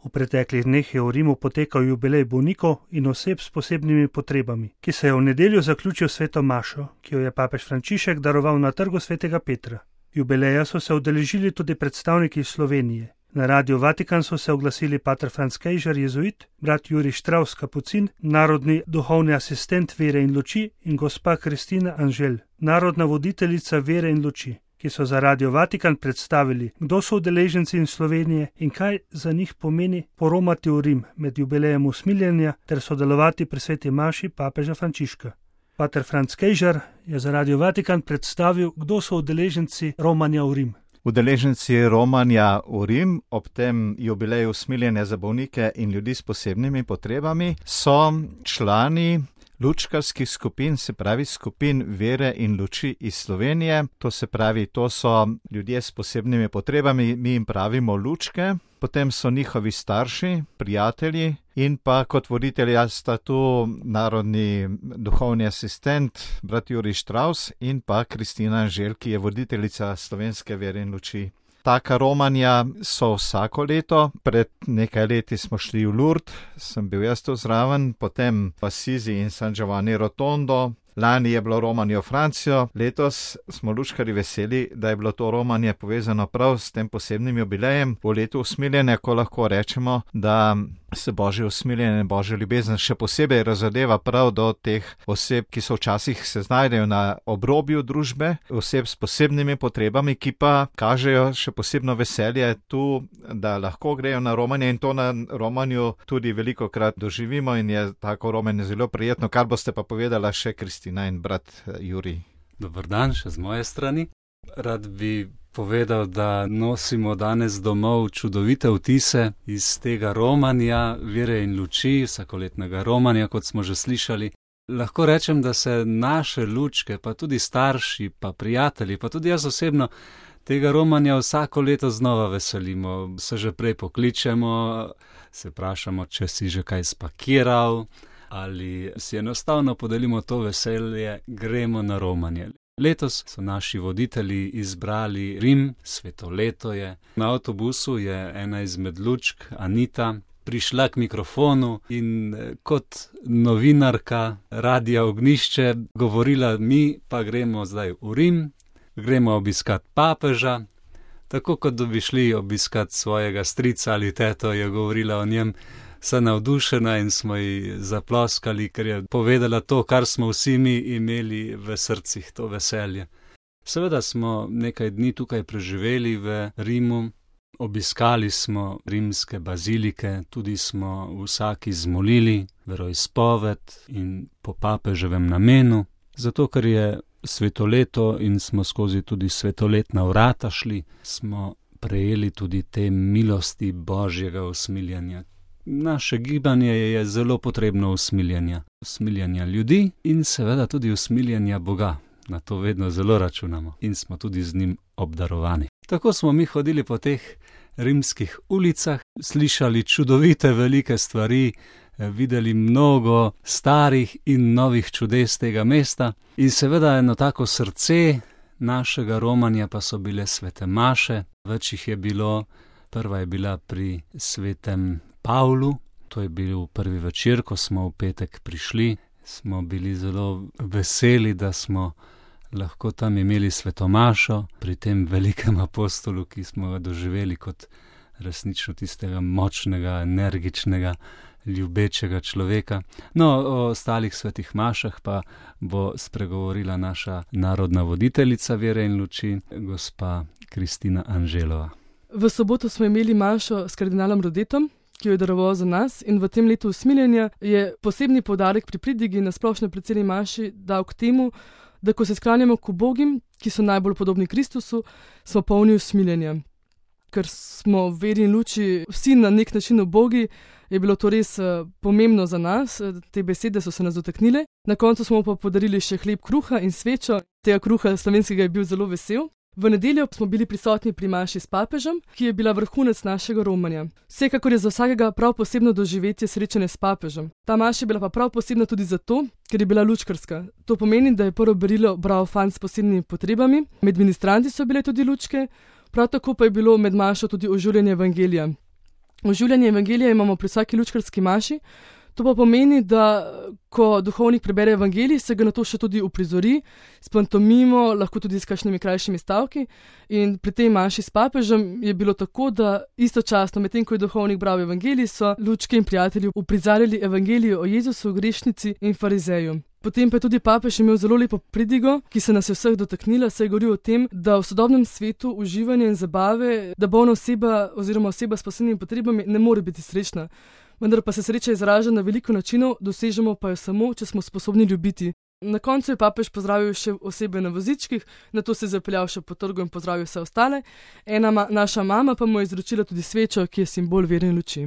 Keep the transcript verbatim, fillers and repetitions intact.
V preteklih dneh je v Rimu potekal jubilej bolnikov in oseb s posebnimi potrebami, ki se je v nedeljo zaključil s sveto mašo, ki jo je papež Frančišek daroval na trgu svetega Petra. Jubileja so se udeležili tudi predstavniki iz Slovenije. Na Radiu Vatikan so se oglasili pater Franz Kejžar, jezuit, brat Jurij Štravs, kapucin, narodni duhovni asistent vere in luči in gospa Kristina Anžel, narodna voditeljica vere in luči, ki so za Radio Vatikan predstavili, kdo so udeleženci iz Slovenije in kaj za njih pomeni poromati v Rim med jubilejem usmiljenja ter sodelovati pri sveti maši papeža Frančiška. Pater Franz Kejžar je za Radio Vatikan predstavil, kdo so udeleženci romanja v Rim. Udeleženci romanja v Rim ob tem jubileju usmiljenja za bolnike in ljudi s posebnimi potrebami so člani lučkarskih skupin, se pravi skupin vere in luči iz Slovenije. To se pravi, to so ljudje s posebnimi potrebami, mi jim pravimo lučke. Potem so njihovi starši, prijatelji in pa kot voditelja sta tu narodni duhovni asistent, brat Jurij Štravs in pa Kristina Anžel, ki je voditeljica slovenske vere in luči. Taka romanja so vsako leto, pred nekaj leti smo šli v Lourdes, sem bil jaz tu zraven, potem v Assisi in San Giovanni Rotondo. Lani je bilo romanje v Francijo, letos smo lučkari veseli, da je bilo to romanje povezano prav s tem posebnim jubilejem v letu usmiljenja, ko lahko rečemo, da se Božje usmiljenje, Božja ljubezen še posebej razodeva prav do teh oseb, ki so včasih se znajdejo na obrobju družbe, oseb s posebnimi potrebami, ki pa kažejo še posebno veselje tu, da lahko grejo na romanje in to na romanju tudi velikokrat doživimo in je tako romanje zelo prijetno, kar boste pa povedala še Kristina in brat Jurij. Dober dan še z moje strani. Rad bi povedal, da nosimo danes domov čudovite vtise iz tega romanja vere in luči, vsakoletnega romanja, kot smo že slišali. Lahko rečem, da se naše lučke, pa tudi starši, pa prijatelji, pa tudi jaz osebno, tega romanja vsako leto znova veselimo. Se že prej pokličemo, se vprašamo, če si že kaj spakiral, ali si enostavno podelimo to veselje, gremo na romanje. Letos so naši voditelji izbrali Rim, sveto leto je. Na avtobusu je ena izmed lučk, Anita, prišla k mikrofonu in kot novinarka Radia Ognjišče govorila, mi pa gremo zdaj v Rim, gremo obiskat papeža, tako kot da bi šli obiskat svojega strica ali teto, je govorila o njem. Se navdušena in smo ji zaploskali, ker je povedala to, kar smo vsi mi imeli v srcih, to veselje. Seveda smo nekaj dni tukaj preživeli v Rimu, obiskali smo rimske bazilike, tudi smo vsak izmolili veroizpoved in po papeževem namenu, zato ker je svetoleto in smo skozi tudi svetoletna vrata šli, smo prejeli tudi te milosti Božjega usmiljenja. Naše gibanje je zelo potrebno usmiljenja. Usmiljenja ljudi in seveda tudi usmiljenja Boga. Na to vedno zelo računamo in smo tudi z njim obdarovani. Tako smo mi hodili po teh rimskih ulicah, slišali čudovite velike stvari, videli mnogo starih in novih čudes tega mesta in seveda eno tako srce našega romanja pa so bile svete maše. Več jih je bilo, prva je bila pri svetem Pavlu, to je bil prvi večer, ko smo v petek prišli, smo bili zelo veseli, da smo lahko tam imeli svetomašo pri tem velikem apostolu, ki smo ga doživeli kot resnično tistega močnega, energičnega, ljubečega človeka. No, o ostalih svetih mašah pa bo spregovorila naša narodna voditeljica vere in luči, gospa Kristina Anželova. V soboto smo imeli mašo s kardinalom Rodetom, ki jo je daroval za nas, in v tem letu usmiljenja je posebni poudarek pri pridigi na splošno predsjedni maši dal k temu, da ko se sklanjamo k ubogim, ki so najbolj podobni Kristusu, smo polni usmiljenja. Ker smo v veri in luči vsi na nek način ubogi, je bilo to res pomembno za nas, te besede so se nas dotaknile. Na koncu smo pa podarili še hleb kruha in svečo, tega kruha slovenskega je bil zelo vesel. V nedeljo smo bili prisotni pri maši s papežem, ki je bila vrhunec našega romanja. Vsekakor je za vsakega prav posebno doživetje srečanje s papežem. Ta maša je bila pa prav posebna tudi zato, ker je bila lučkarska. To pomeni, da je prvo berilo bral fant s posebnimi potrebami, med ministranti so bile tudi lučke, prav tako pa je bilo med mašo tudi oživljanje evangelija. Oživljanje evangelija imamo pri vsaki lučkarski maši. To pa pomeni, da ko duhovnik prebere evangelij, se ga na to še tudi uprizori, s pantomimo, lahko tudi s kakšnimi krajšimi stavki. In pri tej maši s papežem je bilo tako, da istočasno, medtem ko je duhovnik bral evangelij, so lučke in prijatelji uprizarjali evangelijo o Jezusu, grešnici in farizeju. Potem pa je tudi papež imel zelo lepo pridigo, ki se nas je vseh dotaknila, saj je govoril o tem, da v sodobnem svetu uživanja in zabave, da bolna oseba oziroma oseba s posebnimi potrebami ne more biti srečna. Vendar pa se sreča izraža na veliko načinov, dosežemo pa jo samo, če smo sposobni ljubiti. Na koncu je papež pozdravil še osebe na vozičkih, nato se je zapeljal še po trgu in pozdravil vse ostale. Ena ma, naša mama pa mu je izročila tudi svečo, ki je simbol vere in luči.